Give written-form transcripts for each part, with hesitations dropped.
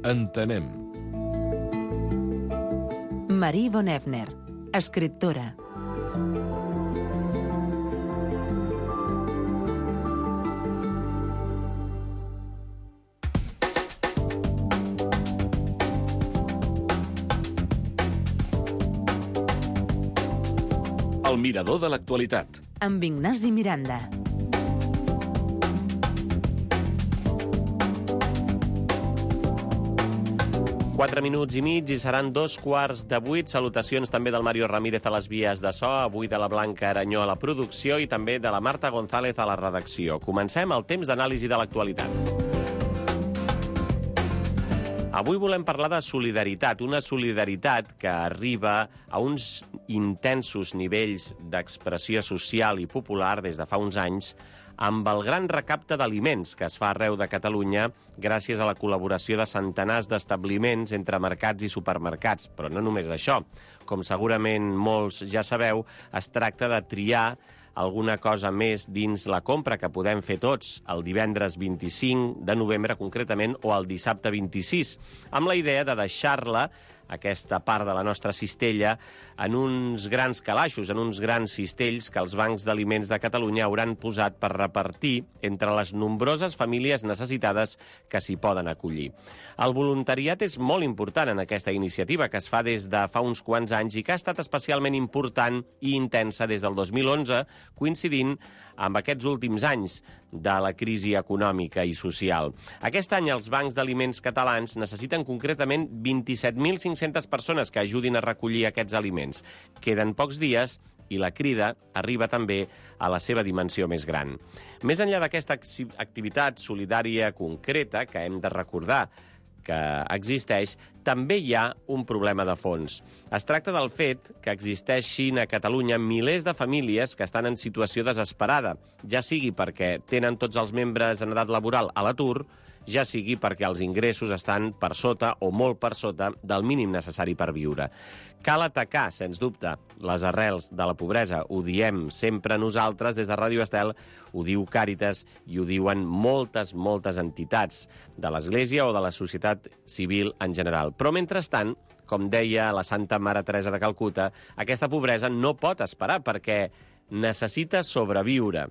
Entenem. Marie von Effner, escriptora. El mirador de l'actualitat. Amb Ignasi Miranda. Quatre minuts i mig i seran 7:45. Salutacions també del Mario Ramírez a les vies de so, avui de la Blanca Aranyó a la producció i també de la Marta González a la redacció. Comencem el temps d'anàlisi de l'actualitat. Avui volem parlar de solidaritat, una solidaritat que arriba a uns intensos nivells d'expressió social i popular des de fa uns anys amb el gran recapte d'aliments que es fa arreu de Catalunya gràcies a la col·laboració de centenars d'establiments entre mercats i supermercats. Però no només això. Com segurament molts ja sabeu, es tracta de triar alguna cosa més dins la compra que podem fer tots el divendres 25 de novembre concretament o el dissabte 26, amb la idea de deixar-la, aquesta part de la nostra cistella, en uns grans calaixos, en uns grans cistells que els bancs d'aliments de Catalunya hauran posat per repartir entre les nombroses famílies necessitades que s'hi poden acollir. El voluntariat és molt important en aquesta iniciativa, que es fa des de fa uns quants anys i que ha estat especialment important i intensa des del 2011, coincidint amb aquests últims anys de la crisi econòmica i social. Aquest any els bancs d'aliments catalans necessiten concretament 27.500 persones que ajudin a recollir aquests aliments. Queden pocs dies i la crida arriba també a la seva dimensió més gran. Més enllà d'aquesta activitat solidària concreta que hem de recordar que existeix, també hi ha un problema de fons. Es tracta del fet que existeixin a Catalunya milers de famílies que estan en situació desesperada, ja sigui perquè tenen tots els membres en edat laboral a l'atur, ja sigui perquè els ingressos estan per sota o molt per sota del mínim necessari per viure. Cal atacar, sens dubte, les arrels de la pobresa. Ho diem sempre nosaltres des de Ràdio Estel, ho diu Càritas i ho diuen moltes entitats de l'Església o de la societat civil en general. Però, mentrestant, com deia la Santa Mare Teresa de Calcuta, aquesta pobresa no pot esperar perquè necessita sobreviure.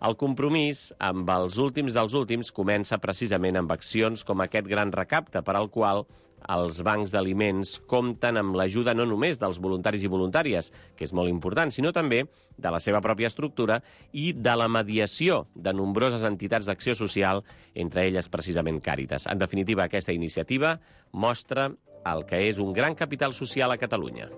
El compromís amb els últims dels últims comença precisament amb accions com aquest gran recapte, per al qual els bancs d'aliments compten amb l'ajuda no només dels voluntaris i voluntàries, que és molt important, sinó també de la seva pròpia estructura i de la mediació de nombroses entitats d'acció social, entre elles precisament Càritas. En definitiva, aquesta iniciativa mostra el que és un gran capital social a Catalunya.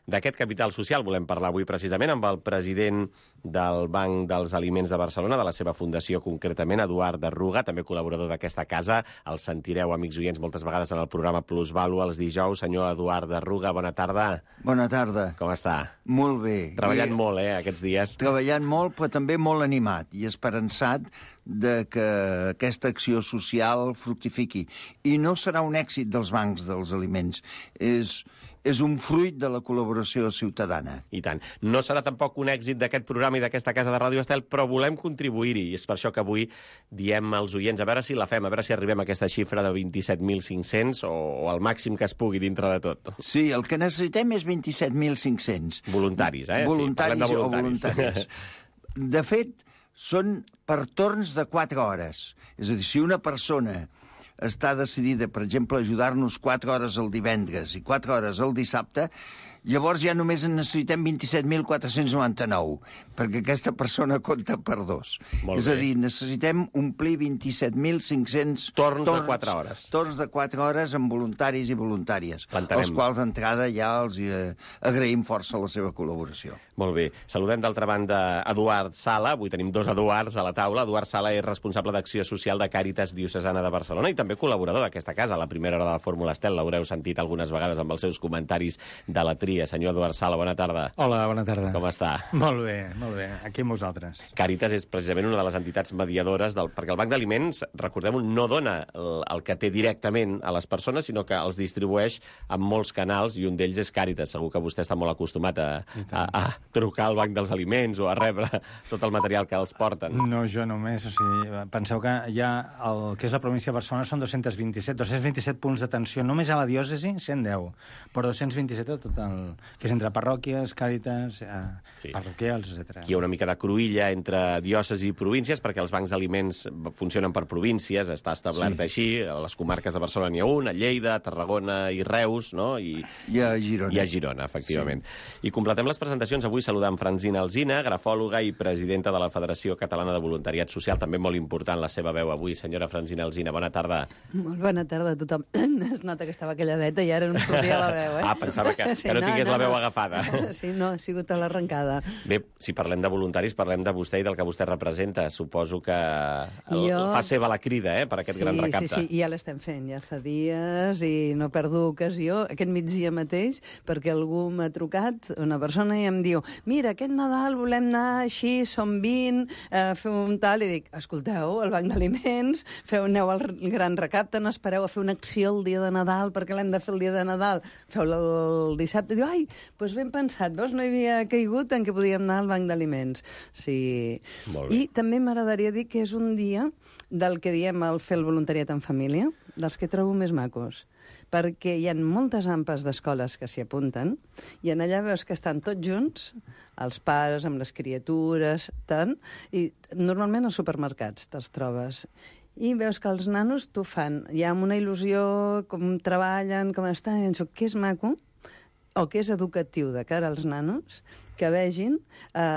D'aquest capital social volem parlar avui precisament amb el president del Banc dels Aliments de Barcelona, de la seva fundació concretament, Eduard Arruga, també col·laborador d'aquesta casa. El sentireu, amics oients, moltes vegades en el programa Plusvàlua els dijous. Senyor Eduard Arruga, bona tarda. Bona tarda. Com està? Molt bé. Treballant molt, aquests dies. Treballant molt, però també molt animat i esperançat de que aquesta acció social fructifiqui. I no serà un èxit dels bancs dels aliments. És un fruit de la col·laboració ciutadana. I tant. No serà tampoc un èxit d'aquest programa i d'aquesta casa de Ràdio Estel, però volem contribuir-hi. I és per això que avui diem als oients, a veure si la fem, a veure si arribem a aquesta xifra de 27.500 o el màxim que es pugui dintre de tot. Sí, el que necessitem és 27.500. Voluntaris, Voluntaris sí, o voluntaris. De fet, són per torns de 4 hores. És a dir, si una persona està decidida, per exemple, a ajudar-nos 4 hores el divendres i 4 hores el dissabte, llavors ja només en necessitem 27.499, perquè aquesta persona compta per 2. És a dir, necessitem omplir 27.500 torns de 4 hores. Torns de 4 hores amb voluntaris i voluntàries, als quals d'entrada ja els agraïm força la seva col·laboració. Molt bé. Saludem d'altra banda Eduard Sala. Avui tenim 2 Eduards a la taula. Eduard Sala és responsable d'Acció Social de Càritas Diocesana de Barcelona i també col·laborador d'aquesta casa. A la primera hora de la Fórmula Estel l'haureu sentit algunes vegades amb els seus comentaris de la tria senyor Eduard Sala, bona tarda. Hola, bona tarda. Com està? Molt bé, aquí amb vosaltres. Càritas és precisament una de les entitats mediadores, perquè el Banc d'Aliments, recordem-ho, no dona el que té directament a les persones, sinó que els distribueix en molts canals, i un d'ells és Càritas. Segur que vostè està molt acostumat a trucar al Banc dels Aliments o a rebre tot el material que els porten. No, jo només, o sigui, penseu que ja el que és la província de Barcelona són 227 punts d'atenció, només a la diòcesi 110, però 227 a tot el que és entre parròquies, Càritas, parroquials, etc. Aquí hi ha una mica de cruïlla entre diòcesi i províncies, perquè els bancs d'aliments funcionen per províncies, està establert així, a les comarques de Barcelona n'hi ha un, a Lleida, a Tarragona i Reus, no? I a Girona. I a Girona, efectivament. Sí. I completem les presentacions avui saludant Francina Alsina, grafòloga i presidenta de la Federació Catalana de Voluntariat Social, també molt important la seva veu avui. Senyora Francina Alsina, bona tarda. Molt bona tarda a tothom. Es nota que estava calladeta i ara no sortia la veu, pensava que no tingués la veu agafada. Sí, no, ha sigut a l'arrencada. Bé, si parlem de voluntaris, parlem de vostè i del que vostè representa. Suposo que fa seva la crida, per aquest gran recapte. Sí, ja l'estem fent, ja fa dies, i no perdo ocasió, aquest migdia mateix, perquè algú m'ha trucat, una persona, i em diu, mira, aquest Nadal volem anar així, som 20, feu un tal, i dic, escolteu, el Banc d'Aliments, aneu al gran recapte, no espereu a fer una acció el dia de Nadal, perquè l'hem de fer el dia de Nadal, feu-la el dissabte, i diu, ai, doncs ben pensat, veus, no hi havia caigut en què podíem anar al Banc d'Aliments. Sí. I també m'agradaria dir que és un dia del que diem el fer el voluntariat en família, dels que trobo més macos, perquè hi ha moltes ampes d'escoles que s'hi apunten, i en allà veus que estan tots junts, els pares amb les criatures, tant, i normalment als supermercats te'ls trobes. I veus que els nanos t'ho fan, ja amb una il·lusió, com treballen, com estan, i penso, que és maco, o que és educatiu de cara als nanos, que vegin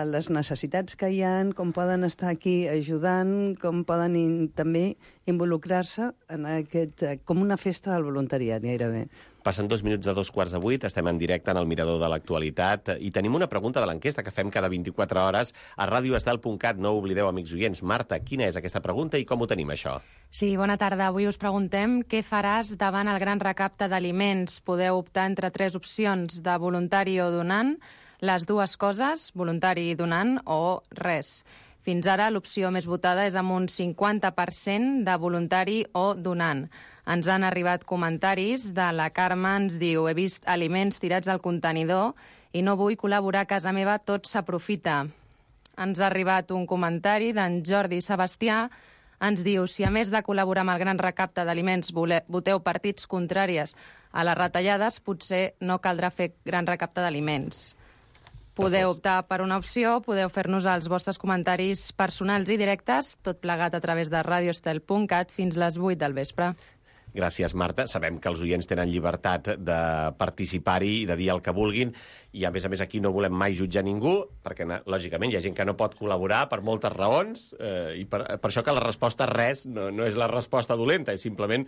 les necessitats que hi ha, com poden estar aquí ajudant, com poden també involucrar-se en aquest, com una festa del voluntariat, gairebé. Passen 2 minuts de 2:15, estem en directe en el Mirador de l'Actualitat i tenim una pregunta de l'enquesta que fem cada 24 hores a radioestel.cat. No ho oblideu, amics oients. Marta, quina és aquesta pregunta i com ho tenim, això? Sí, bona tarda. Avui us preguntem què faràs davant el gran recapte d'aliments. Podeu optar entre 3 opcions, de voluntari o donant, les dues coses, voluntari i donant, o res. Fins ara l'opció més votada és amb un 50% de voluntari o donant. Ens han arribat comentaris de la Carme, ens diu, he vist aliments tirats al contenidor i no vull col·laborar a casa meva, tot s'aprofita. Ens ha arribat un comentari d'en Jordi Sebastià, ens diu, si a més de col·laborar amb el gran recapte d'aliments voteu partits contràries a les retallades, potser no caldrà fer gran recapte d'aliments. Podeu optar per una opció, podeu fer-nos els vostres comentaris personals i directes, tot plegat a través de radioestel.cat fins les 8 del vespre. Gràcies, Marta. Sabem que els oients tenen llibertat de participar-hi i de dir el que vulguin, i a més aquí no volem mai jutjar ningú, perquè, lògicament, hi ha gent que no pot col·laborar per moltes raons, i per això que la resposta res no és la resposta dolenta, és simplement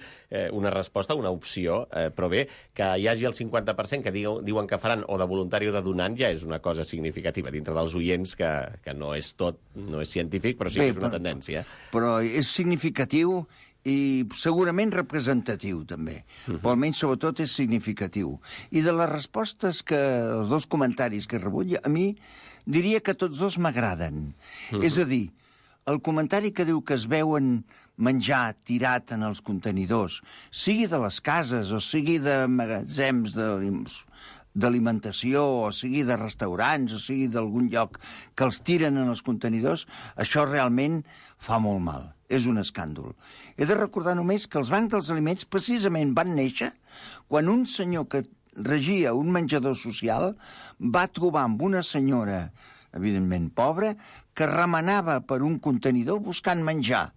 una resposta, una opció. Però bé, que hi hagi el 50% que diuen que faran o de voluntari o de donant ja és una cosa significativa dintre dels oients, que no és tot, no és científic, però sí que és una tendència. Però és significatiu i segurament representatiu, també. Però almenys, sobretot, és significatiu. I de les respostes els dos comentaris que he rebut, a mi diria que tots dos m'agraden. És a dir, el comentari que diu que es veuen menjar tirat en els contenidors, sigui de les cases o sigui de magatzems d'alimentació, o sigui de restaurants, o sigui d'algun lloc que els tiren en els contenidors, això realment fa molt mal. És un escàndol. He de recordar només que els bancs dels aliments precisament van néixer quan un senyor que regia un menjador social va trobar amb una senyora, evidentment pobra, que remenava per un contenidor buscant menjar.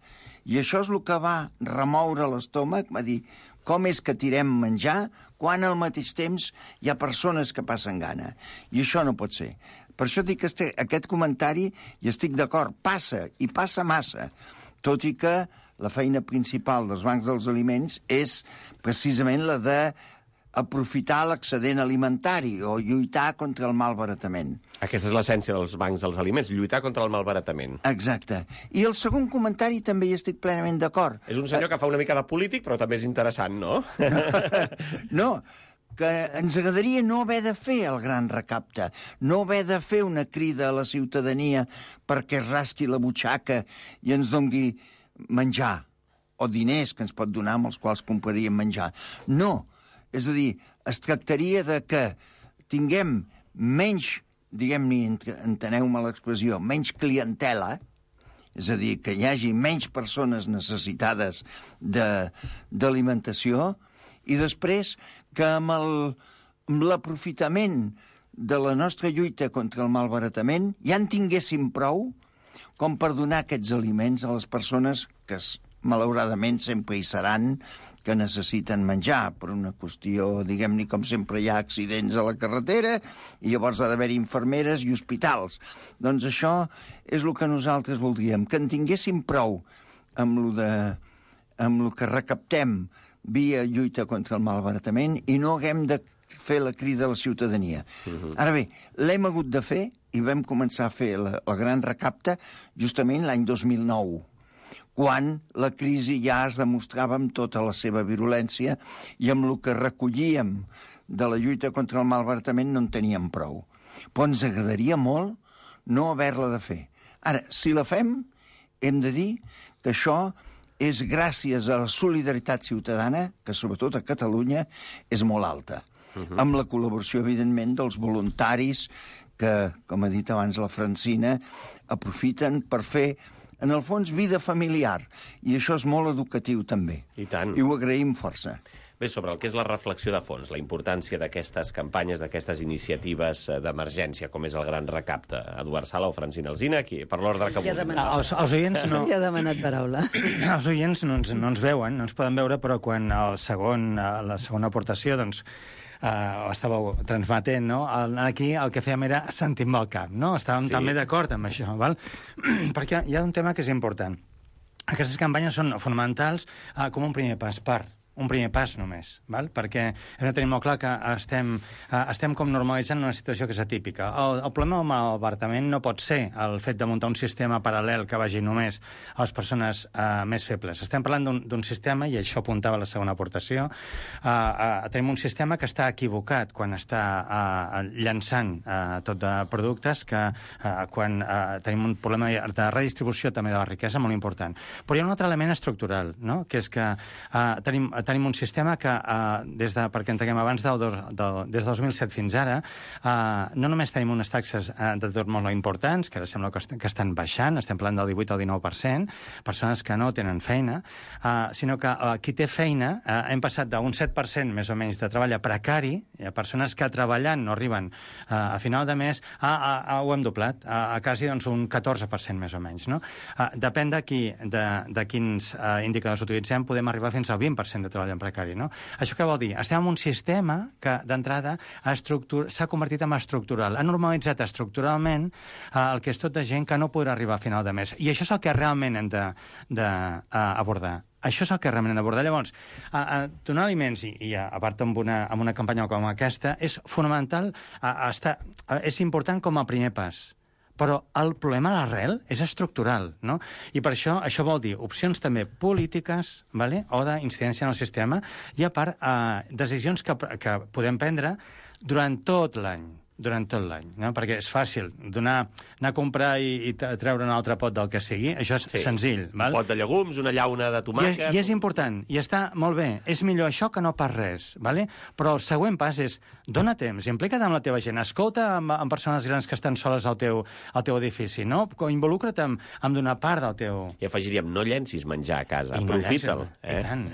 I això és el que va remoure l'estómac, va dir, com és que tirem menjar quan al mateix temps hi ha persones que passen gana. I això no pot ser. Per això dic que aquest comentari, i estic d'acord, passa, i passa massa, tot i que la feina principal dels bancs dels aliments és precisament la d'aprofitar l'excedent alimentari o lluitar contra el malbaratament. Aquesta és l'essència dels bancs dels aliments, lluitar contra el malbaratament. Exacte. I el segon comentari també hi estic plenament d'acord. És un senyor que fa una mica de polític, però també és interessant, no? No, que ens agradaria no haver de fer el gran recapte, no haver de fer una crida a la ciutadania perquè es rasqui la butxaca i ens dongui menjar, o diners que ens pot donar amb els quals compraríem menjar. No, és a dir, es tractaria de que tinguem menys, diguem-ne, enteneu-me l'expressió, menys clientela, és a dir, que hi hagi menys persones necessitades d'alimentació, i després que amb l'aprofitament de la nostra lluita contra el malbaratament ja en tinguéssim prou com per donar aquests aliments a les persones que malauradament sempre hi seran, que necessiten menjar per una qüestió, diguem-ne, com sempre hi ha accidents a la carretera i llavors ha d'haver-hi infermeres i hospitals. Doncs això és el que nosaltres voldríem, que en tinguéssim prou amb el que recaptem via lluita contra el malbaratament i no haguem de fer la crida a la ciutadania. Ara bé, l'hem hagut de fer i vam començar a fer el gran recapte justament l'any 2009, quan la crisi ja es demostrava amb tota la seva virulència i amb el que recollíem de la lluita contra el malbaratament no en teníem prou. Però ens agradaria molt no haver-la de fer. Ara, si la fem, hem de dir que això és gràcies a la solidaritat ciutadana, que sobretot a Catalunya és molt alta, amb la col·laboració, evidentment, dels voluntaris que, com ha dit abans la Francina, aprofiten per fer, en el fons, vida familiar. I això és molt educatiu, també. I tant. I ho agraïm força. Bé, sobre el que és la reflexió de fons, la importància d'aquestes campanyes, d'aquestes iniciatives d'emergència, com és el Gran Recapte. Eduard Sala o Francina Alsina, aquí, per l'ordre que vulguin. Els oients no... Ja ha demanat paraula. Els oients no ens veuen, no ens poden veure, però quan la segona aportació, doncs, ho estàveu transmetent, no? Aquí el que fèiem era sentir-me el cap, no? Estàvem també d'acord amb això, val? Perquè hi ha un tema que és important. Aquestes campanyes són fonamentals com un primer pas un primer pas només, val? Perquè hem de tenir molt clar que estem com normalitzant una situació que és atípica. El problema del malbaratament no pot ser el fet de muntar un sistema paral·lel que vagi només a les persones més febles. Estem parlant d'un sistema, i això apuntava la segona aportació, tenim un sistema que està equivocat quan està llançant tot de productes, que quan tenim un problema de redistribució també de la riquesa molt important. Però hi ha un altre element estructural, no? Que és que tenim un sistema que, perquè entenguem abans, des del 2007 fins ara, no només tenim unes taxes d'atur molt importants, que ara sembla que estan baixant, estem parlant del 18 al 19%, persones que no tenen feina, sinó que qui té feina, hem passat d'un 7% més o menys de treball a precari, a persones que treballant no arriben a final de mes, ho hem doblat, a quasi doncs, un 14% més o menys. No? Depèn de quins indicadors utilitzem, podem arribar fins al 20% de treball en precari, no? Això què vol dir? Estem en un sistema que, d'entrada, s'ha convertit en estructural. Ha normalitzat estructuralment el que és tota gent que no podrà arribar a final de mes. I això és el que realment hem d'abordar. Això és el que realment hem d'abordar. Llavors, donar aliments, i a part amb una campanya com aquesta, és fonamental, és important com a primer pas. Però el problema a l'arrel és estructural, no? I per això vol dir opcions també polítiques, vale? O d'incidència en el sistema, i a part decisions que podem prendre durant tot l'any, no? Perquè és fàcil anar a comprar i treure un altre pot del que sigui, això és senzill. Val? Un pot de llegums, una llauna de tomàquet... I és important, i està molt bé. És millor això que no pas res, vale? Però el següent pas és dona temps, implica't amb la teva gent, escolta amb persones grans que estan soles al teu edifici, no? Involucra't amb donar part del teu... I afegiríem, no llencis menjar a casa, aprofita'l. I tant.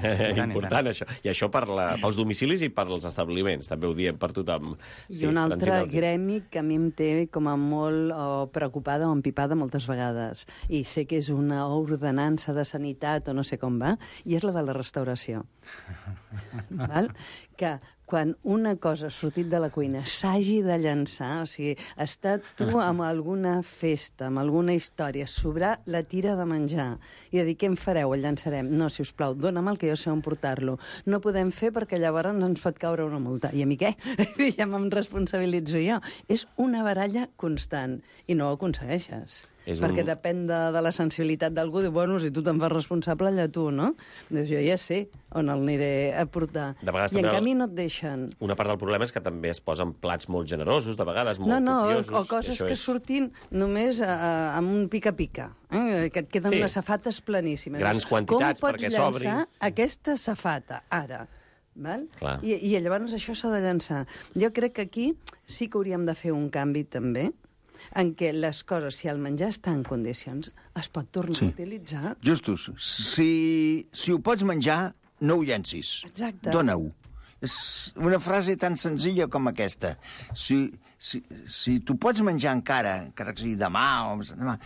Important, això. I això pels domicilis i pels establiments, també ho diem per tothom. I un altre gremi que a mi em té com a molt preocupada o empipada moltes vegades, i sé que és una ordenança de sanitat o no sé com va, i és la de la restauració. Val? Que quan una cosa ha sortit de la cuina s'hagi de llançar, o sigui, estar tu amb alguna festa, amb alguna història, sobrar la tira de menjar i de dir, què en fareu? El llançarem? No, si us plau, dóna'm el que jo sé on portar-lo. No podem fer perquè llavors ens pot caure una multa. I a mi què? Ja me'n responsabilitzo jo. És una baralla constant i no ho aconsegueixes. perquè depèn de la sensibilitat d'algú. Diu, bueno, si tu te'n fas responsable, allà tu, no? Dius, jo ja sé on el aniré a portar. I en canvi no et deixen. Una part del problema és que també es posen plats molt generosos, de vegades molt copiosos. O coses que surtin només amb un pica-pica, que et queden unes safates planíssimes. Grans quantitats perquè s'obri. Com pots llançar aquesta safata, ara? Val? I llavors això s'ha de llançar. Jo crec que aquí sí que hauríem de fer un canvi també, en què les coses, si el menjar està en condicions, es pot tornar a utilitzar. Justos, si ho pots menjar, no ho llencis. Exacte. Dóna-ho. És una frase tan senzilla com aquesta. Si tu pots menjar encara que sigui demà o demà,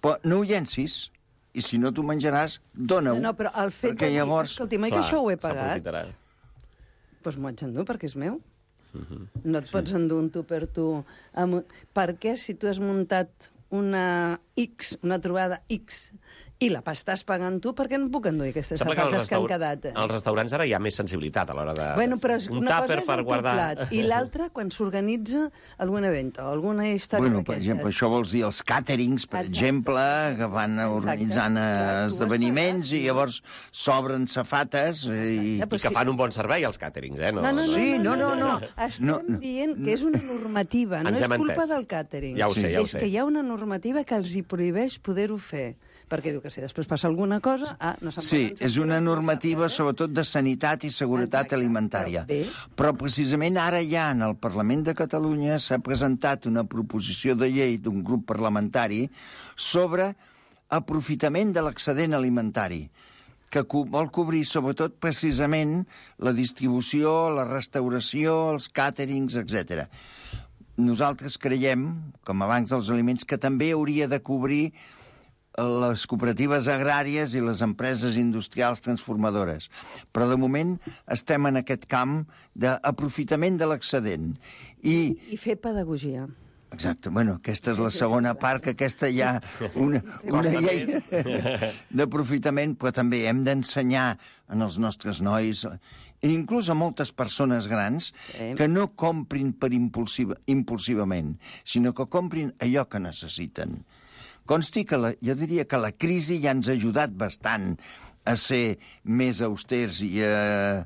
però no ho llencis, i si no t'ho menjaràs, dóna-ho. No, però el fet de dir, escolti, mai que això ho he pagat, doncs m'ho haig d'endur perquè és meu. No et pots endur un tu per tu. Per què, si tu has muntat una trobada X, i la estàs pagant tu, per què no puc endur aquestes safates que han quedat? Als restaurants ara hi ha més sensibilitat a l'hora de... Però un tàper per guardar... Plat, i l'altre, quan s'organitza algun event o alguna història d'aquestes. Per exemple, això vols dir els càterings, per exemple, que van organitzant esdeveniments i llavors s'obren safates i que fan un bon servei, els càterings, eh? No. Estem dient que és una normativa, no és culpa del càtering. Ja ho sé. És que hi ha una normativa que els hi prohibeix poder-ho fer. Perquè diu que si després passa alguna cosa... Sí, és una normativa sobretot de sanitat i seguretat alimentària. Però precisament ara ja en el Parlament de Catalunya s'ha presentat una proposició de llei d'un grup parlamentari sobre aprofitament de l'excedent alimentari, que vol cobrir sobretot precisament la distribució, la restauració, els càterings, etc. Nosaltres creiem, com a Bancs dels Aliments, que també hauria de cobrir les cooperatives agràries i les empreses industrials transformadores. Però de moment estem en aquest camp d'aprofitament de l'excedent. I fer pedagogia. Exacte. Bueno, aquesta és la segona part, que aquesta hi ha una llei d'aprofitament, però també hem d'ensenyar als nostres nois, inclús a moltes persones grans, que no comprin impulsivament, sinó que comprin allò que necessiten. Consti que jo diria que la crisi ja ens ha ajudat bastant a ser més austers i a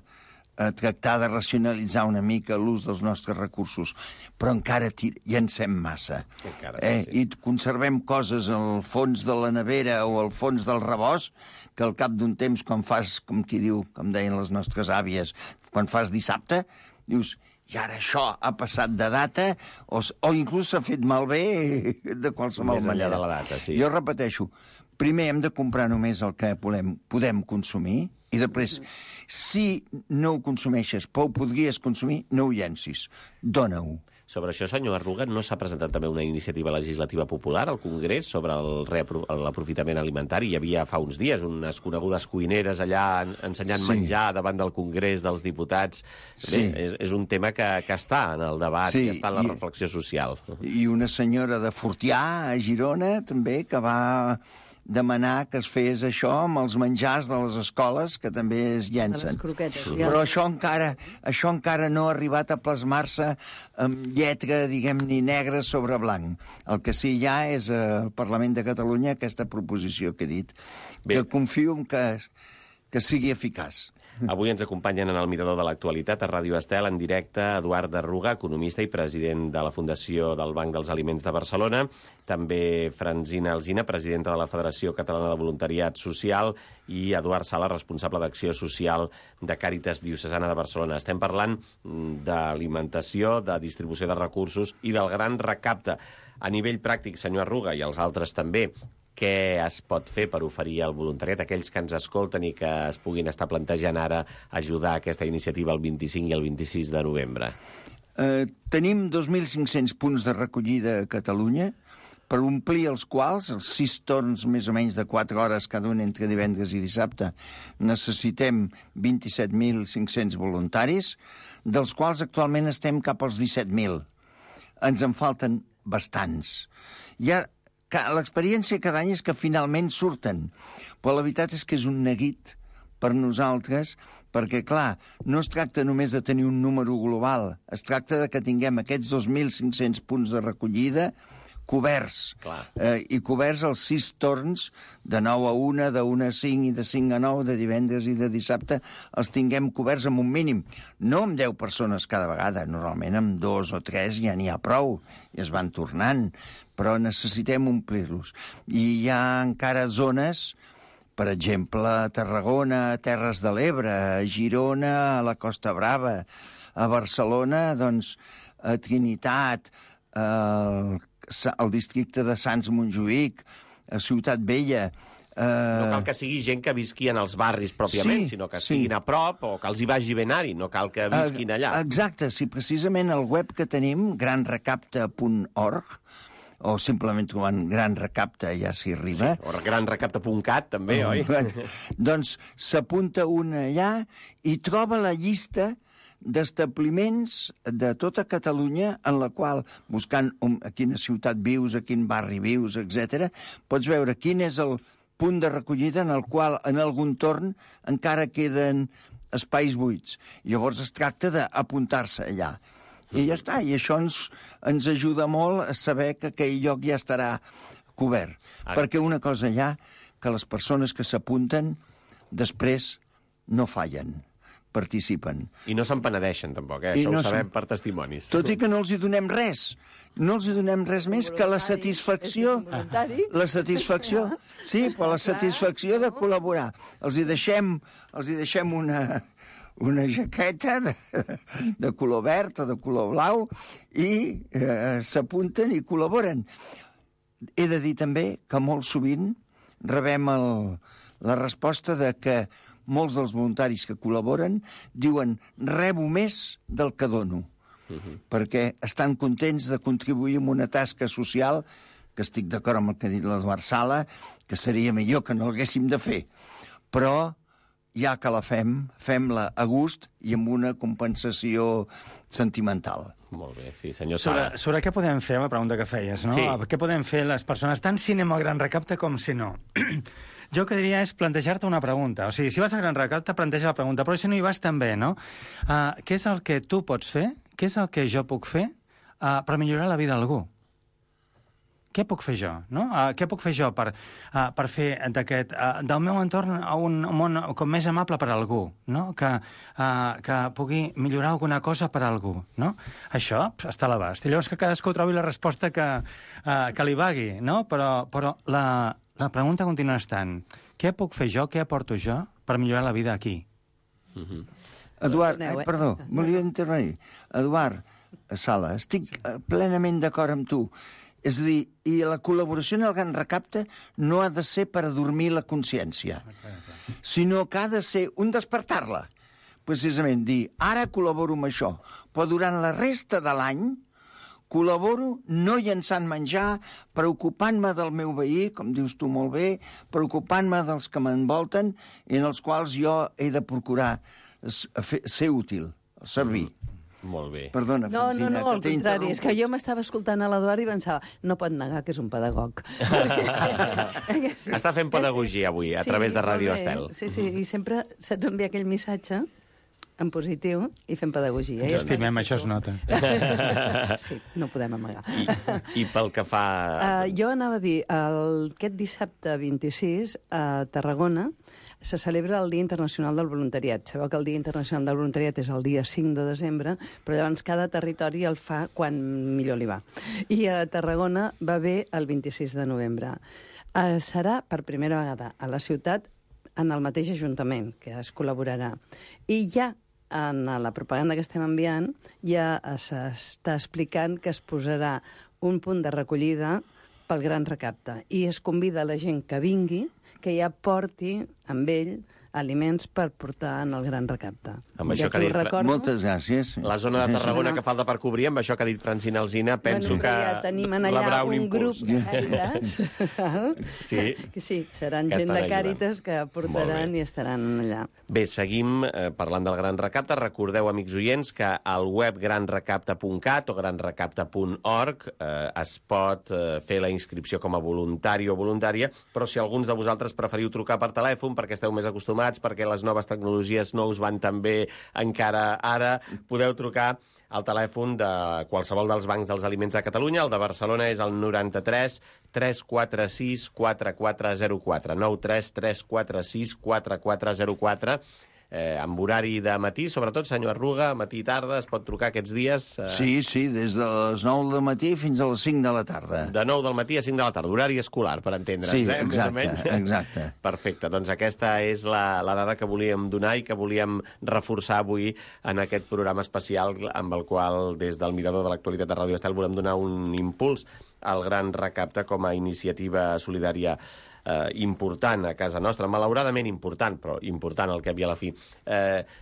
tractar de racionalitzar una mica l'ús dels nostres recursos, però encara llancem massa. I conservem coses al fons de la nevera o al fons del rebost que al cap d'un temps, quan fas, com qui diu, com deien les nostres àvies, quan fas dissabte, dius... I ara això ha passat de data o inclús s'ha fet malbé de qualsevol manera. De la data, sí. Jo repeteixo, primer hem de comprar només el que podem consumir i després, si no ho consumeixes però ho podries consumir, no ho llencis. Dóna-ho. Sobre això, senyor Arruga, no s'ha presentat també una iniciativa legislativa popular al Congrés sobre l'aprofitament alimentari? Hi havia fa uns dies unes conegudes cuineres allà ensenyant menjar davant del Congrés dels diputats. Bé, és un tema que està en el debat i està en la reflexió social. I una senyora de Fortià, a Girona, també, que va demanar que es fes això amb els menjars de les escoles, que també es llencen. Les croquetes. Però això encara no ha arribat a plasmar-se amb lletra, diguem-ne, negra sobre blanc. El que sí hi ha és al Parlament de Catalunya aquesta proposició que he dit, que confio en que sigui eficaç. Avui ens acompanyen en el Mirador de l'Actualitat a Ràdio Estel en directe Eduard Arruga, economista i president de la Fundació del Banc dels Aliments de Barcelona, també Francina Alsina, presidenta de la Federació Catalana de Voluntariat Social, i Eduard Sala, responsable d'Acció Social de Càritas Diocesana de Barcelona. Estem parlant d'alimentació, de distribució de recursos i del gran recapte. A nivell pràctic, senyor Arruga, i els altres també, què es pot fer per oferir al voluntariat, aquells que ens escolten i que es puguin estar plantejant ara ajudar a aquesta iniciativa el 25 i el 26 de novembre? Tenim 2.500 punts de recollida a Catalunya, per omplir els quals, els 6 torns més o menys de 4 hores cada un entre divendres i dissabte, necessitem 27.500 voluntaris, dels quals actualment estem cap als 17.000. Ens en falten bastants. L'experiència cada any és que finalment surten, però la veritat és que és un neguit per nosaltres, perquè, clar, no es tracta només de tenir un número global, es tracta de que tinguem aquests 2.500 punts de recollida coberts. Clar. I coberts els 6 torns, de 9 a 1, de 1 a 5 i de 5 a 9, de divendres i de dissabte, els tinguem coberts amb un mínim. No amb 10 persones cada vegada, normalment amb 2 o 3 ja n'hi ha prou, i es van tornant, però necessitem omplir-los. I hi ha encara zones, per exemple, a Tarragona, a Terres de l'Ebre, a Girona, a la Costa Brava, a Barcelona, doncs, a Trinitat, al districte de Sants-Montjuïc, a Ciutat Vella. No cal que sigui gent que visqui en els barris pròpiament, sinó que estiguin a prop o que els hi vagi ben anar-hi, no cal que visquin allà. Exacte, si precisament el web que tenim, granrecapta.org, o simplement trobant Gran Recapta ja s'hi arriba. Sí, o granrecapta.cat també, oi? Doncs s'apunta un allà i troba la llista d'establiments de tota Catalunya en la qual, buscant a quina ciutat vius, a quin barri vius, etc., pots veure quin és el punt de recollida en el qual, en algun torn, encara queden espais buits. Llavors es tracta d'apuntar-se allà. I ja està, i això ens ajuda molt a saber que aquell lloc ja estarà cobert. Perquè una cosa hi ha, que les persones que s'apunten després no fallen, participen. I no se'n penedeixen, tampoc, això ho sabem per testimonis. Tot i que no els hi donem res. No els hi donem res més que la satisfacció. La satisfacció, sí, però la satisfacció de col·laborar. Els hi deixem una jaqueta de color verd o de color blau i s'apunten i col·laboren. He de dir també que molt sovint rebem la resposta de que molts dels voluntaris que col·laboren diuen rebo més del que dono, perquè estan contents de contribuir en una tasca social, que estic d'acord amb el que ha dit l'Eduard Sala, que seria millor que no l'haguéssim de fer. Però ja que la fem-la a gust i amb una compensació sentimental. Molt bé, sí, senyor Sala. Sobre què podem fer, la pregunta que feies, no? Sí. Què podem fer les persones, tant si anem al Gran Recapte com si no? Jo el que diria és plantejar-te una pregunta. O sigui, si vas a Gran Recapte, planteja la pregunta, però si no hi vas també, no? Què és el que tu pots fer? Què és el que jo puc fer per millorar la vida d'algú? Què puc fer jo? No? Què puc fer jo per fer del meu entorn un món com més amable per a algú, no? Que pugui millorar alguna cosa per a algú, no? Això està a l'abast. I llavors que cadascú trobi la resposta que li vagui, no? Però la pregunta continua estant, què puc fer jo, què aporto jo per millorar la vida aquí? Eduard, perdó, volia intervenir. Eduard Sala, estic plenament d'acord amb tu. És a dir, i la col·laboració en el Gran Recapte no ha de ser per adormir la consciència, sinó que ha de ser un despertar-la. Precisament dir, ara col·laboro amb això, però durant la resta de l'any col·laboro no llençant menjar, preocupant-me del meu veí, com dius tu molt bé, preocupant-me dels que m'envolten i en els quals jo he de procurar ser útil, servir. Molt bé. Perdona, Francina, no, al contrari, és que jo m'estava escoltant a l'Eduard i pensava, no pot negar que és un pedagog. Està fent pedagogia avui, a través de Ràdio Estel. Sí, i sempre saps enviar aquell missatge en positiu i fent pedagogia. Ens estimem, això es nota. Sí, no podem amagar. I pel que fa... Jo anava a dir, aquest dissabte 26 a Tarragona se celebra el Dia Internacional del Voluntariat. Sabeu que el Dia Internacional del Voluntariat és el dia 5 de desembre, però llavors cada territori el fa quan millor li va. I a Tarragona va bé el 26 de novembre. Serà per primera vegada a la ciutat en el mateix ajuntament, que es col·laborarà. I ja en la propaganda que estem enviant ja s'està explicant que es posarà un punt de recollida pel Gran Recapte i es convida la gent que vingui que ja porti amb ell aliments per portar en el Gran Recapte. Amb això que ha dit... Moltes gràcies. La zona de Tarragona que falta per cobrir, amb això que ha dit Francina Alsina, penso que ja tenim allà un grup de Càritas. Sí, seran gent de Càritas que portaran i estaran allà. Bé, seguim parlant del Gran Recapte. Recordeu, amics oients, que al web granrecapta.cat o granrecapta.org es pot fer la inscripció com a voluntari o voluntària, però si alguns de vosaltres preferiu trucar per telèfon perquè esteu més acostumats informats perquè les noves tecnologies no us van tan bé encara ara, podeu trucar al telèfon de qualsevol dels bancs dels aliments de Catalunya. El de Barcelona és el 93 346 4404, 93 346 4404, amb horari de matí, sobretot, senyor Arruga, matí i tarda, es pot trucar aquests dies? Sí, des de les 9 del matí fins a les 5 de la tarda. De 9 del matí a 5 de la tarda, horari escolar, per entendre'ns, Sí, més o menys. exacte. Perfecte, doncs aquesta és la dada que volíem donar i que volíem reforçar avui en aquest programa especial amb el qual, des del Mirador de l'Actualitat de Ràdio Estel, volem donar un impuls al Gran Recapte com a iniciativa solidària important a casa nostra, malauradament important, però important al cap i a la fi,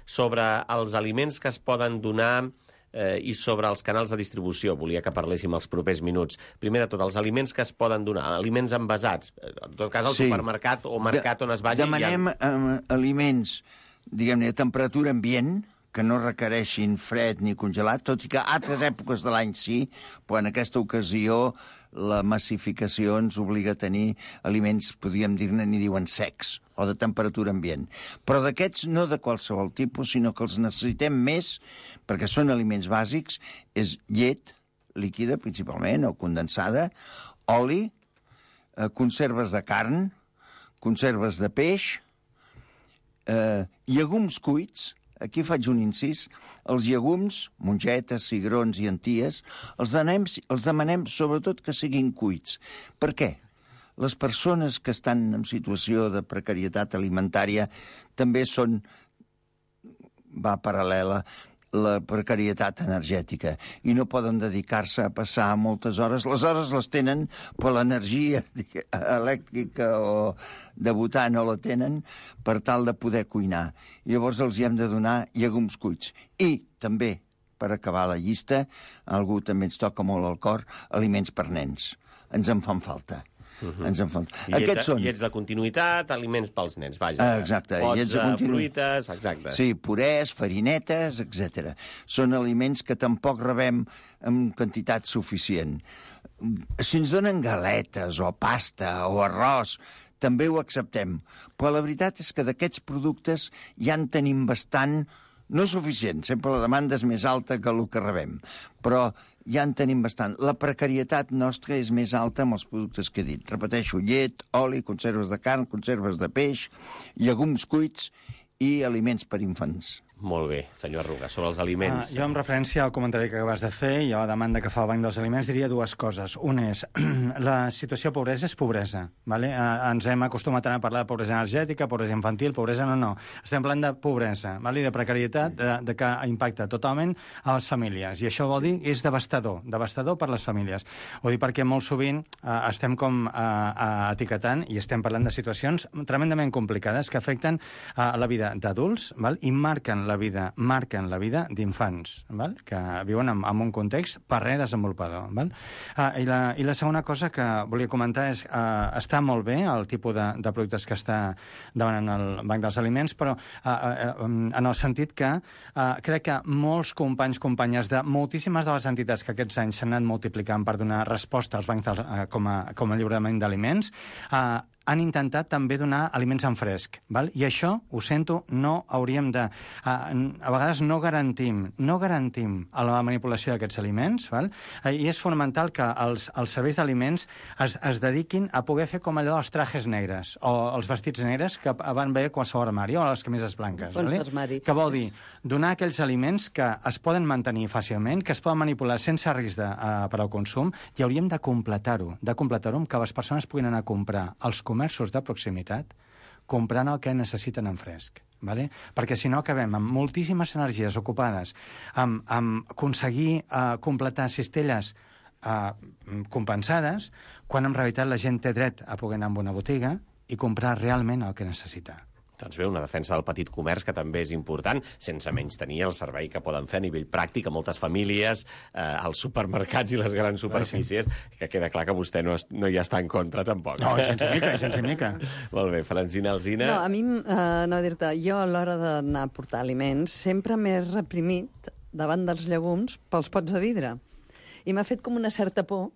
sobre els aliments que es poden donar i sobre els canals de distribució. Volia que parléssim els propers minuts. Primer de tot, els aliments que es poden donar, aliments envasats, en tot cas al supermercat o mercat on es vagi. Demanem aliments, diguem-ne, a temperatura ambient, que no requereixin fred ni congelat, tot i que a altres èpoques de l'any sí, però en aquesta ocasió la massificació ens obliga a tenir aliments, podríem dir-ne, n'hi diuen secs, o de temperatura ambient. Però d'aquests no de qualsevol tipus, sinó que els necessitem més, perquè són aliments bàsics, és llet líquida, principalment, o condensada, oli, conserves de carn, conserves de peix, llegums cuits. Aquí faig un incís. Els llegums, mongetes, cigrons i enties, els demanem sobretot que siguin cuits. Per què? Les persones que estan en situació de precarietat alimentària també va paral·lela la precarietat energètica i no poden dedicar-se a passar moltes hores. Les hores les tenen, però l'energia elèctrica o de votar no la tenen per tal de poder cuinar. Llavors els hi hem de donar llegums cuits. I també, per acabar la llista, algú també ens toca molt al cor, aliments per nens. Ens en fan falta. Ens en fan. Aquests són llets de continuïtat, aliments pels nens, vaja. Exacte. Pots, fruites, exacte. Sí, purès, farinetes, etc. Són aliments que tampoc rebem en quantitat suficient. Si ens donen galetes o pasta o arròs, també ho acceptem. Però la veritat és que d'aquests productes ja en tenim bastant, no suficient, sempre la demanda és més alta que el que rebem, però ja en tenim bastant. La precarietat nostra és més alta amb els productes que he dit. Repeteixo, llet, oli, conserves de carn, conserves de peix, llegums cuits i aliments per infants. Molt bé, senyor Arruga, sobre els aliments. Jo, en referència al comentari que acabes de fer i a la demanda que fa el Banc dels Aliments, diria dues coses. Una és, la situació de pobresa és pobresa. ¿Vale? Ens hem acostumat a parlar de pobresa energètica, pobresa infantil, pobresa no. Estem parlant de pobresa, ¿vale? De precarietat, de que impacta totalment a les famílies. I això vol dir que és devastador per les famílies. Ho dic perquè molt sovint estem com etiquetant i estem parlant de situacions tremendament complicades que afecten la vida d'adults, i marquen la vida d'infants, que viuen en un context per res desenvolupador. I la segona cosa que volia comentar és està molt bé el tipus de productes que està demanant el Banc dels Aliments, però en el sentit que crec que molts companys, companyes de moltíssimes de les entitats que aquests anys s'han anat multiplicant per donar resposta als bancs com a lliurament d'aliments, han intentat també donar aliments en fresc. I això, ho sento, no hauríem de... A vegades no garantim la manipulació d'aquests aliments, i és fonamental que els serveis d'aliments es dediquin a poder fer com allò dels trajes negres o els vestits negres que van bé a qualsevol armari o a les camises blanques. Que vol dir donar aquells aliments que es poden mantenir fàcilment, que es poden manipular sense risc per al consum, i hauríem de completar-ho amb que les persones puguin anar a comprar als comerços de proximitat comprant el que necessiten en fresc. Perquè si no acabem amb moltíssimes energies ocupades amb aconseguir completar cistelles compensades, quan en realitat la gent té dret a poder anar a una botiga i comprar realment el que necessita. Doncs bé, una defensa del petit comerç que també és important, sense menys tenir el servei que poden fer a nivell pràctic a moltes famílies, als supermercats i les grans superfícies, que queda clar que vostè no hi està en contra tampoc. No, sense mica. Molt bé, Francina Alsina. No, a mi, jo a l'hora d'anar a portar aliments sempre m'he reprimit davant dels llegums pels pots de vidre. I m'ha fet com una certa por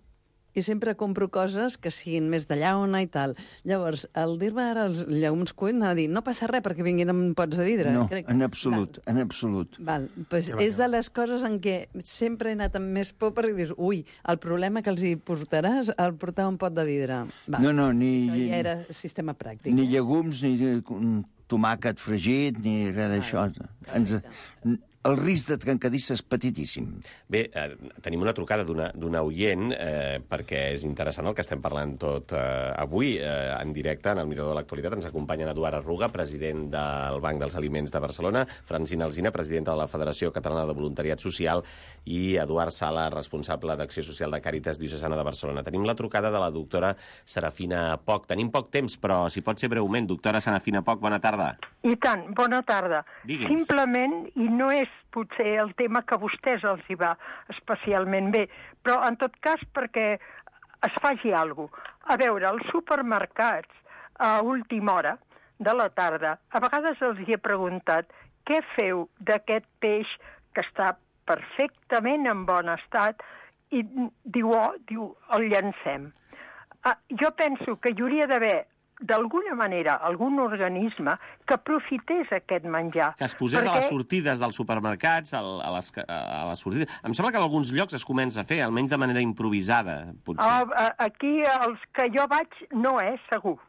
i sempre compro coses que siguin més de llauna i tal. Llavors, al dir-me ara els llegums cuits, anava a dir, no passa res perquè vinguin amb pots de vidre. No, Crec... en absolut, en absolut. Val, pues és de les coses en què sempre he anat amb més por perquè dius, ui, el problema que els hi portaràs al portar un pot de vidre. Va, No, ni... això ja era sistema pràctic. Ni llegums, ni tomàquet fregit, ni res d'això. El risc de trencadissa és petitíssim. Bé, tenim una trucada d'una oient, perquè és interessant el que estem parlant tot avui, en directe, en el Mirador de l'Actualitat. Ens acompanyen Eduard Arruga, president del Banc dels Aliments de Barcelona, Francina Alsina, presidenta de la Federació Catalana de Voluntariat Social, i Eduard Sala, responsable d'Acció Social de Càritas Diocesana de Barcelona. Tenim la trucada de la doctora Serafina Poch. Tenim poc temps, però si pot ser breument. Doctora Serafina Poch, bona tarda. I tant, bona tarda. Digui'ns. Simplement, i no és potser el tema que a vostès els hi va especialment bé, però en tot cas perquè es faci alguna cosa. A veure, els supermercats a última hora de la tarda, a vegades els hi he preguntat què feu d'aquest peix que està perfectament en bon estat i diu, el llancem. Jo penso que hi hauria d'haver d'alguna manera, algun organisme que aprofités aquest menjar. Que es posés a les sortides dels supermercats, a les sortides. Em sembla que en alguns llocs es comença a fer, almenys de manera improvisada, potser. Aquí, els que jo vaig, no és segur.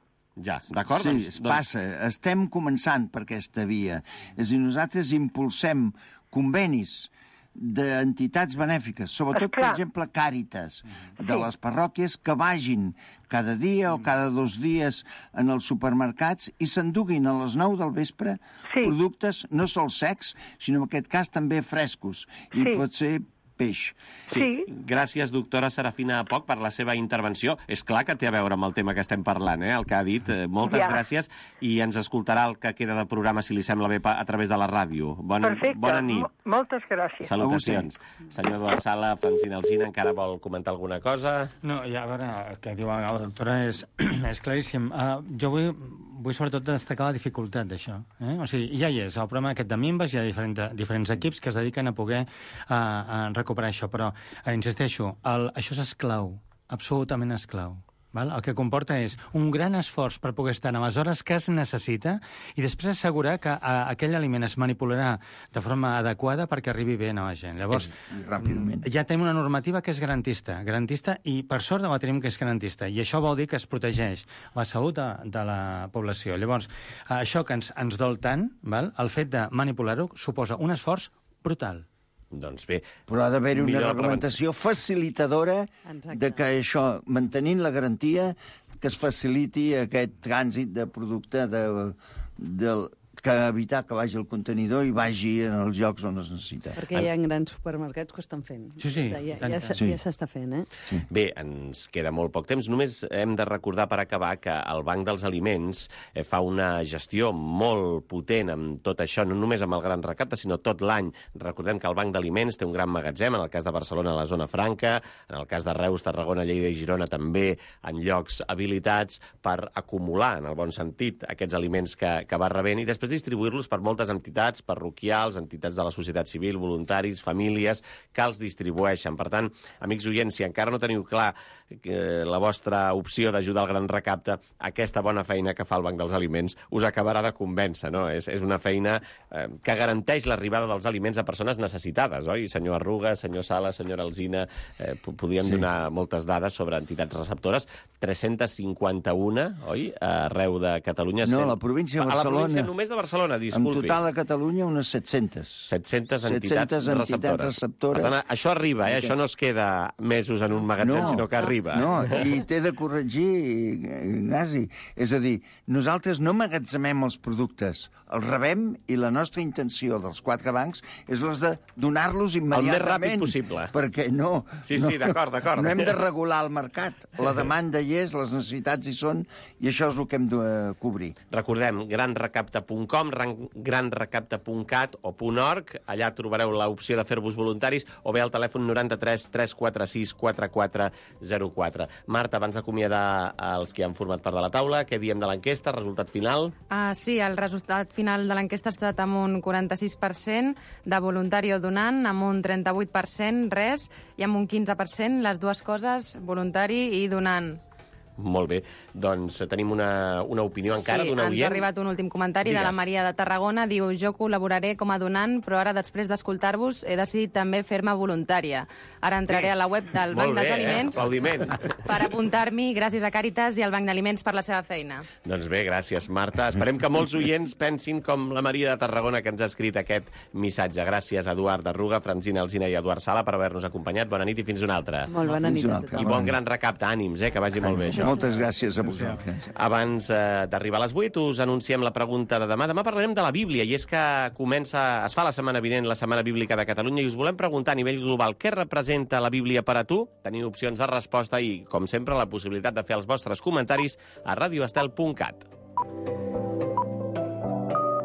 Ja, d'acord? Sí, es passa. Estem començant per aquesta via. És a dir, nosaltres impulsem convenis d'entitats benèfiques, sobretot, per exemple, Càritas, de les parròquies, que vagin cada dia o cada 2 dies en els supermercats i s'enduguin a les 9 del vespre productes no sols secs, sinó en aquest cas també frescos. I pot ser peix. Sí. Gràcies, doctora Serafina Poch, per la seva intervenció. És clar que té a veure amb el tema que estem parlant, el que ha dit. Moltes gràcies, i ens escoltarà el que queda de programa, si li sembla bé, a través de la ràdio. Bona nit. Moltes gràcies. Salutacions. Senyor Eduard Sala, Francina Alsina, encara vol comentar alguna cosa? No, ja, a veure, el que diu la doctora és claríssim. Jo vull sobretot destacar la dificultat d'això. O sigui, ja hi és, el problema aquest de minves, hi ha diferents equips que es dediquen a poder recuperar això, però insisteixo, això és esclau, absolutament esclau. Val? El que comporta és un gran esforç per poder estar en les hores que es necessita i després assegurar que aquell aliment es manipularà de forma adequada perquè arribi bé a la gent. Llavors, ja tenim una normativa que és garantista i per sort la tenim que és garantista, i això vol dir que es protegeix la salut de la població. Llavors, això que ens dol tant, val? El fet de manipular-ho suposa un esforç brutal. Doncs bé... Però ha d'haver-hi una reglamentació facilitadora de que això, mantenint la garantia, que es faciliti aquest trànsit de producte que evitar que vagi al contenidor i vagi en els llocs on es necessita. Perquè hi ha grans supermercats que ho estan fent. Sí. Ja s'està fent, Sí. Bé, ens queda molt poc temps. Només hem de recordar per acabar que el Banc dels Aliments fa una gestió molt potent amb tot això, no només amb el gran recapte, sinó tot l'any. Recordem que el Banc d'Aliments té un gran magatzem, en el cas de Barcelona a la zona franca, en el cas de Reus, Tarragona, Lleida i Girona també en llocs habilitats per acumular, en el bon sentit, aquests aliments que va rebent i després distribuir-los per moltes entitats parroquials, entitats de la societat civil, voluntaris, famílies, que els distribueixen. Per tant, amics oients, si encara no teniu clar la vostra opció d'ajudar al gran recapte, aquesta bona feina que fa el Banc dels Aliments us acabarà de convèncer, no? És una feina que garanteix l'arribada dels aliments a persones necessitades, oi? Senyor Arruga, senyor Sala, senyora Alsina, podríem donar moltes dades sobre entitats receptores. 351, oi? Arreu de Catalunya. No, a la província de Barcelona. A la província només de Barcelona, disculpi. En total a Catalunya unes 700. 700 entitats receptores. Per tant, això arriba, això no es queda mesos en un magatzem, sinó que arriba. No, i t'he de corregir, Ignasi. És a dir, nosaltres no emmagatzemem els productes, els rebem i la nostra intenció dels 4 bancs és les de donar-los immediatament. El més ràpid possible. Perquè no... Sí, d'acord. No hem de regular el mercat. La demanda hi és, les necessitats hi són, i això és el que hem de cobrir. Recordem, granrecapte.cat granrecapta.com, granrecapta.cat o .org. Allà trobareu l'opció de fer-vos voluntaris, o bé al telèfon 93 346 4404. Marta, abans d'acomiadar els que han format part de la taula, què diem de l'enquesta, resultat final? Sí, el resultat final de l'enquesta ha estat amb un 46% de voluntari o donant, amb un 38% res, i amb un 15% les dues coses, voluntari i donant. Molt bé. Doncs tenim una opinió encara d'una oient. Sí, ens ha arribat un últim comentari de la Maria de Tarragona. Diu, jo col·laboraré com a donant, però ara, després d'escoltar-vos, he decidit també fer-me voluntària. Ara entraré a la web del Banc dels Aliments per apuntar-m'hi, gràcies a Càritas i al Banc d'Aliments per la seva feina. Doncs bé, gràcies, Marta. Esperem que molts oients pensin com la Maria de Tarragona, que ens ha escrit aquest missatge. Gràcies a Eduard Arruga, Francina Alsina i Eduard Sala per haver-nos acompanyat. Bona nit i fins una altra. Molt bona nit a tothom. I bon gran recapte. Ànims, que vagi molt bé, això. Moltes gràcies a vosaltres. Abans d'arribar a les 8 us anunciem la pregunta de demà. Demà parlarem de la Bíblia, i és que es fa la setmana vinent, la Setmana Bíblica de Catalunya, i us volem preguntar a nivell global què representa la Bíblia per a tu. Tenim opcions de resposta i, com sempre, la possibilitat de fer els vostres comentaris a radioestel.cat.